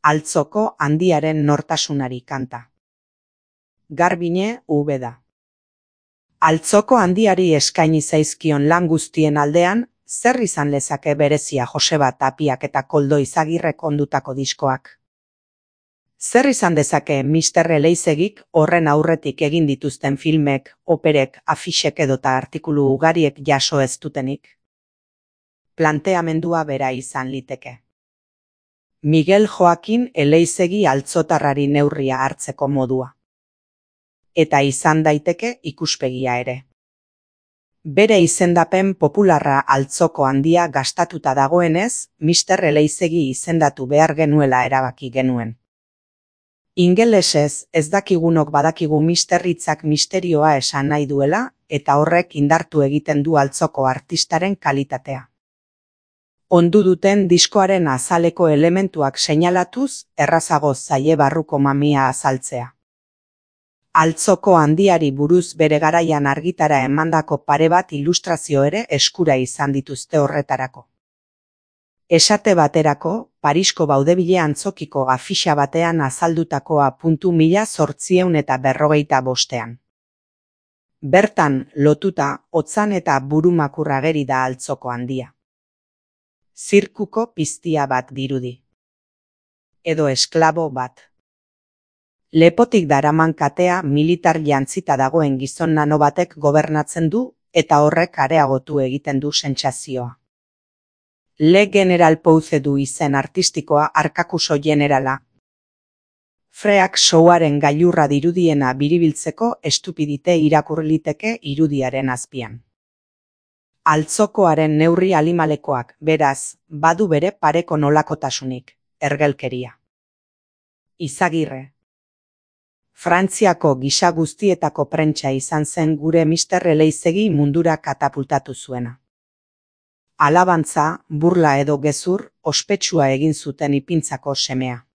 Altzoko handiaren nortasunari kanta. Garbine Ubeda. Altzoko handiari eskaini zaizkion lan guztien aldean, zer izan lezake berezia Joseba Tapiak eta Koldo Izagirrek ondutako diskoak? Zer izan dezake Mr. Eleizegik horren aurretik egin dituzten filmek, operek, afixek edota artikulu ugariek jaso ez dutenik? Planteamendua bera izan liteke. Miguel Joakin Eleizegi altzotarrari neurria hartzeko modua. Eta izan daiteke ikuspegia ere. Bere izendapen popularra altzoko handia gastatuta dagoenez, Mr. Eleizegi izendatu behar genuela erabaki genuen. Ingelesez ez dakigunok badakigu Mr. hitzak misterioa esan nahi duela, eta horrek indartu egiten du altzoko artistaren kalitatea. Ondu duten diskoaren azaleko elementuak seinalatuz, errazago zaie barruko mamia azaltzea. Altzoko handiari buruz bere garaian argitara emandako pare bat ilustrazio ere eskura izan dituzte horretarako. Esate baterako, Parisko Baudebile antzokiko afixa batean azaldutakoa .1845. Bertan, lotuta, otzan eta burumakur ageri da altzoko handia. Zirkuko piztia bat dirudi. Edo esklabo bat. Lepotik daraman katea militar jantzita dagoen gizon nano batek gobernatzen du eta horrek areagotu egiten du sentsazioa. Le General Pouze du izen artistikoa arkakuso generala. Freak showaren gailurra dirudiena biribiltzeko estupidite irakur liteke irudiaren azpian. Altzokoaren neurri alimalekoak, beraz, badu bere pareko nolakotasunik, ergelkeria. Izagirre. Frantziako gisa guztietako prentsa izan zen gure Mr. Eleizegi mundura katapultatu zuena. Alabantza, burla edo gezur, ospetsua egin zuten ipintzako semea.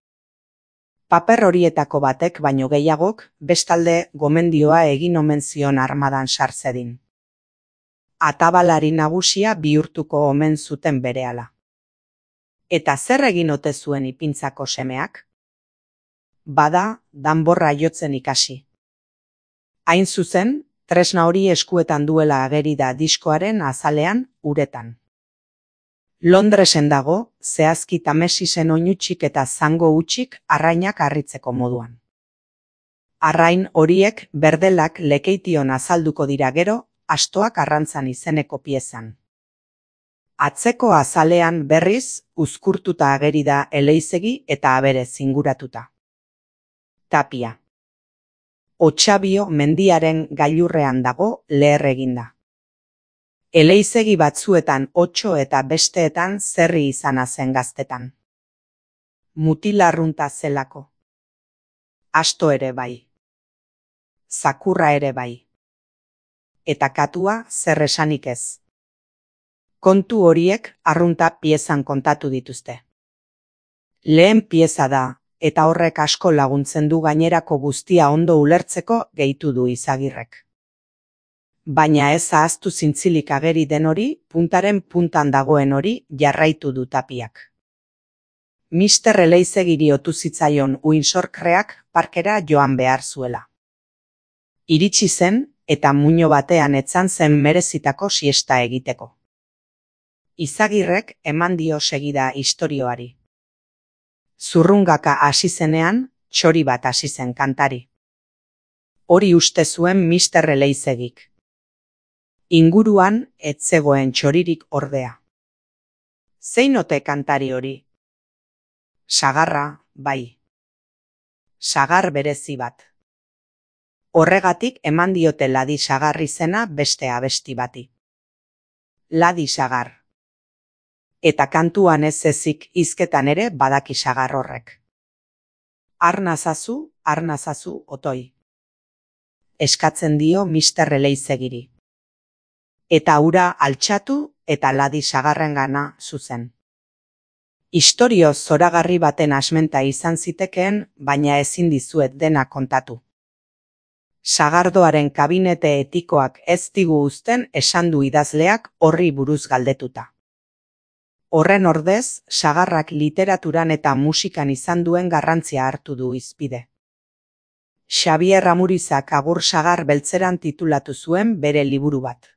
Paper horietako batek baino gehiagok, bestalde gomendioa egin omen zion armadan sartzedin. Atabalari nagusia bihurtuko omen zuten berehala. Eta zer egin ote zuen ipintzako semeak? Bada, danborra jotzen ikasi. Hain zuzen, tresna hori eskuetan duela ageri da diskoaren azalean, uretan. Londresen dago, zehazki Tamesisen oinutsik eta zango utxik arrainak harritzeko moduan. Arrain horiek berdelak lekeition azalduko dira gero, astoak arrantzan izeneko piezan. Atzeko azalean berriz, uzkurtuta ageri da Eleizegi eta aberez inguratuta. Tapia. Otxabio mendiaren gailurrean dago leher eginda. Eleizegi batzuetan otxo eta besteetan zerri izana zen gaztetan. Mutilarrunta zelako. Asto ere bai. Zakurra ere bai. Eta katua zer esanik ez. Kontu horiek arrunta piezan kontatu dituzte. Lehen pieza da, eta horrek asko laguntzen du gainerako guztia ondo ulertzeko gehitu du Izagirrek. Baina ez ahaztu zintzilik ageri den hori, puntaren puntan dagoen hori jarraitu du Tapiak. Mr. Eleizegiri otu zitzaion Windsorkreak parkera joan behar zuela. Iritsi zen, eta muino batean etzan zen merezitako siesta egiteko. Izagirrek eman dio segida istorioari. Zurrungaka hasi zenean, txori bat hasi zen kantari. Hori uste zuen Mr. Eleizegik. Inguruan ez zegoen txoririk ordea. Zein ote kantari hori? Sagarra, bai. Sagar berezi bat. Horregatik eman diote Ladi Sagar izena beste abesti bati. Ladi Sagar. Eta kantuan ez ezik hizketan ere badaki sagar horrek. Arnazazu, otoi. Eskatzen dio Mr. Eleizegiri. Eta ura altxatu eta Ladi Sagarrengana zuzen. Istorio zoragarri baten asmenta izan zitekeen, baina ezin dizuet dena kontatu. Sagardoaren kabinete etikoak ez digu uzten esan du idazleak horri buruz galdetuta. Horren ordez, sagarrak literaturan eta musikan izan duen garrantzia hartu du hizpide. Xabier Amurizak Agur sagar beltzeran titulatu zuen bere liburu bat.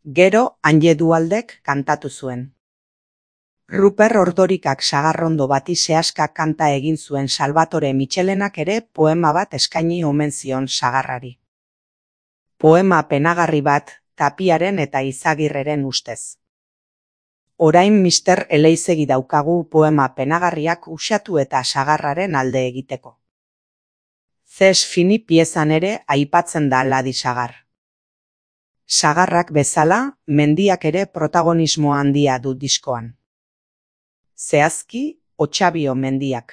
Gero, Anje Dualdek kantatu zuen. Ruper Ordorikak sagarrondo bati sehaska kanta egin zuen Salvatore Mitxelenak ere poema bat eskaini omen zion sagarrari. Poema penagarri bat, Tapiaren eta Izagirreren ustez. Orain Mister Eleizegi daukagu poema penagarriak uxatu eta sagarraren alde egiteko. Ces fini piezan ere aipatzen da Ladi sagar. Sagarrak bezala, mendiak ere protagonismo handia du diskoan. Zehazki, Otxabio mendiak.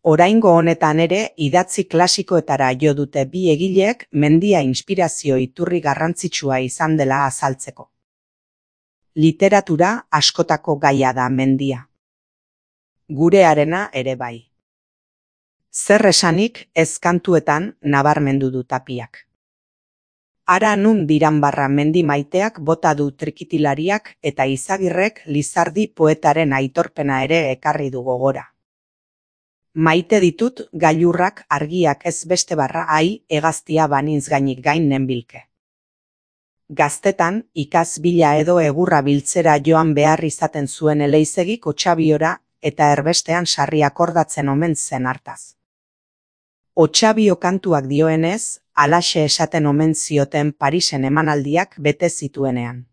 Oraingo honetan ere idatzi klasikoetara jo dute bi egileek mendia inspirazio iturri garrantzitsua izan dela azaltzeko. Literatura askotako gaia da mendia. Gurearena ere bai. Zer esanik ez kantuetan nabarmendu du Tapiak. Ara nun diranbarra mendi maiteak bota du trikitilariak eta Izagirrek Lizardi poetaren aitorpena ere ekarri du gogora. Maite ditut gailurrak argiak ez beste barra hegaztia banintz gainik gain nenbilke. Gaztetan, ikaz bila edo egurra biltzera joan behar izaten zuen Eleizegik Otxabiora eta erbestean sarri akordatzen omen zen hartaz. Otxabio kantuak dioenez, halaxe esaten omen zioten Parisen emanaldiak bete zituenean.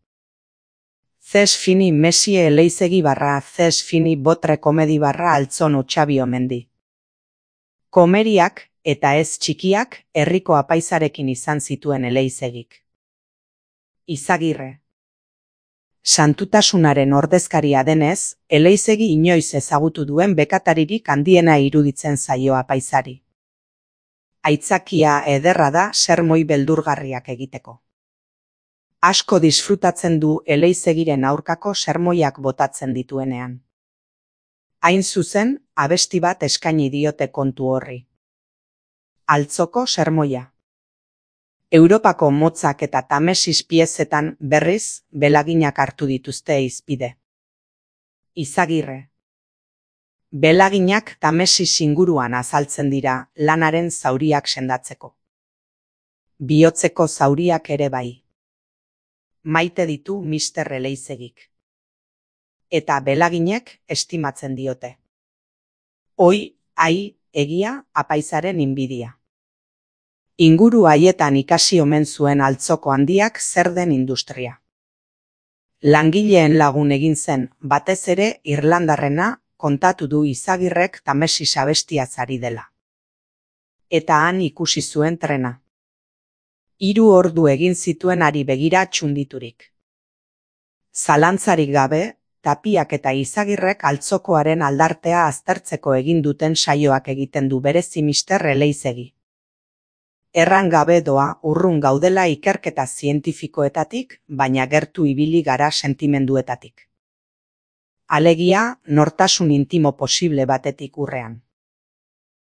Ces fini Mesie Eleizegi barra ces fini botre komedi barra altzon Otxabio mendi. Komeriak eta ez txikiak herriko apaizarekin izan zituen Eleizegik. Izagirre. Santutasunaren ordezkaria denez, Eleizegi inoiz ezagutu duen bekataririk handiena iruditzen zaio apaizari. Aitzakia ederra da sermoi beldurgarriak egiteko. Asko disfrutatzen du Eleizegirren aurkako sermoiak botatzen dituenean. Hain zuzen, abesti bat eskaini diote kontu horri. Altzoko sermoia. Europako motzak eta Tamesis piezetan berriz belaginak hartu dituzte hizpide. Izagirre. Belaginak Tamesis inguruan azaltzen dira lanaren zauriak sendatzeko. Bihotzeko zauriak ere bai. Maite ditu Mister Eleizegik. Eta belaginek estimatzen diote. Oi, egia, apaizaren inbidia. Inguru haietan ikasi omen zuen altzoko handiak zer den industria. Langileen lagun egin zen, batez ere irlandarrena, kontatu du Izagirrek Tamesis abestiaz ari dela. Eta han ikusi zuen trena. 3 ordu egin zituen ari begira txunditurik. Zalantzarik gabe, Tapiak eta Izagirrek altzokoaren aldartea aztertzeko egin duten saioak egiten du berezi Mister Eleizegi. Erran gabe doa urrun gaudela ikerketa zientifikoetatik, baina gertu ibili gara sentimenduetatik. Alegia, nortasun intimo posible batetik urrean.